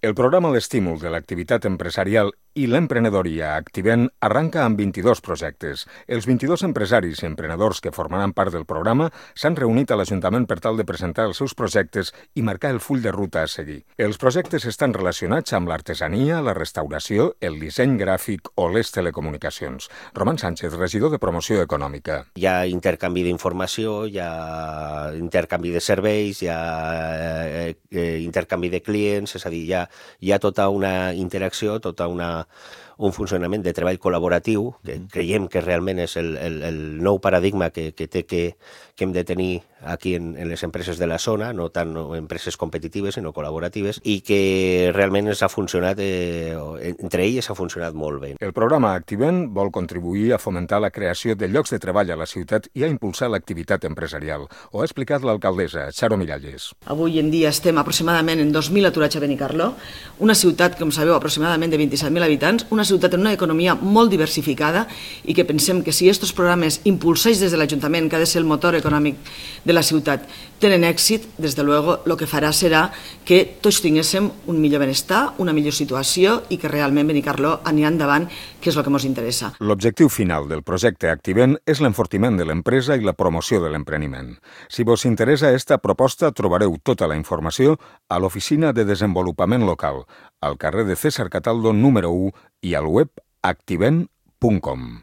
El programa d'estímul de l'activitat empresarial i l'emprenedoria Activent arranca amb 22 projectes. Els 22 empresaris i emprenedors que formaran part del programa s'han reunit a l'Ajuntament per tal de presentar els seus projectes i marcar el full de ruta a seguir. Els projectes estan relacionats amb l'artesania, la restauració, el disseny gràfic o les telecomunicacions. Roman Sánchez, regidor de Promoció Econòmica. Hi ha intercanvi d'informació, hi ha intercanvi de serveis, hi ha intercanvi de clients, és a dir, hi ha tota una interacció, un funcionament de treball col·laboratiu, que creiem que realment és el nou paradigma que hem de tenir aquí en les empreses de la zona, no tant empreses competitives, sinó col·laboratives, i que realment ha funcionat, entre elles ha funcionat molt bé. El programa Activent vol contribuir a fomentar la creació de llocs de treball a la ciutat i a impulsar l'activitat empresarial. Ho ha explicat l'alcaldessa, Charo Miralles. Avui en dia estem aproximadament en 2.000 aturats a Benicarló, una ciutat, com sabeu, aproximadament de 27.000 habitants, una ciutat amb una economia molt diversificada i que pensem que si aquests programes impulsats des de l'Ajuntament, que ha de ser el motor econòmic de la ciutat, tenen èxit, des de luego, el que farà serà que tots tinguéssim un millor benestar, una millor situació i que realment Benicarló anirà endavant, que és el que ens interessa. L'objectiu final del projecte Activent és l'enfortiment de l'empresa i la promoció de l'empreniment. Si vos interessa esta proposta, trobareu tota la informació a l'Oficina de Desenvolupament Local, al carrer de César Cataldo número 1 i al web activent.com.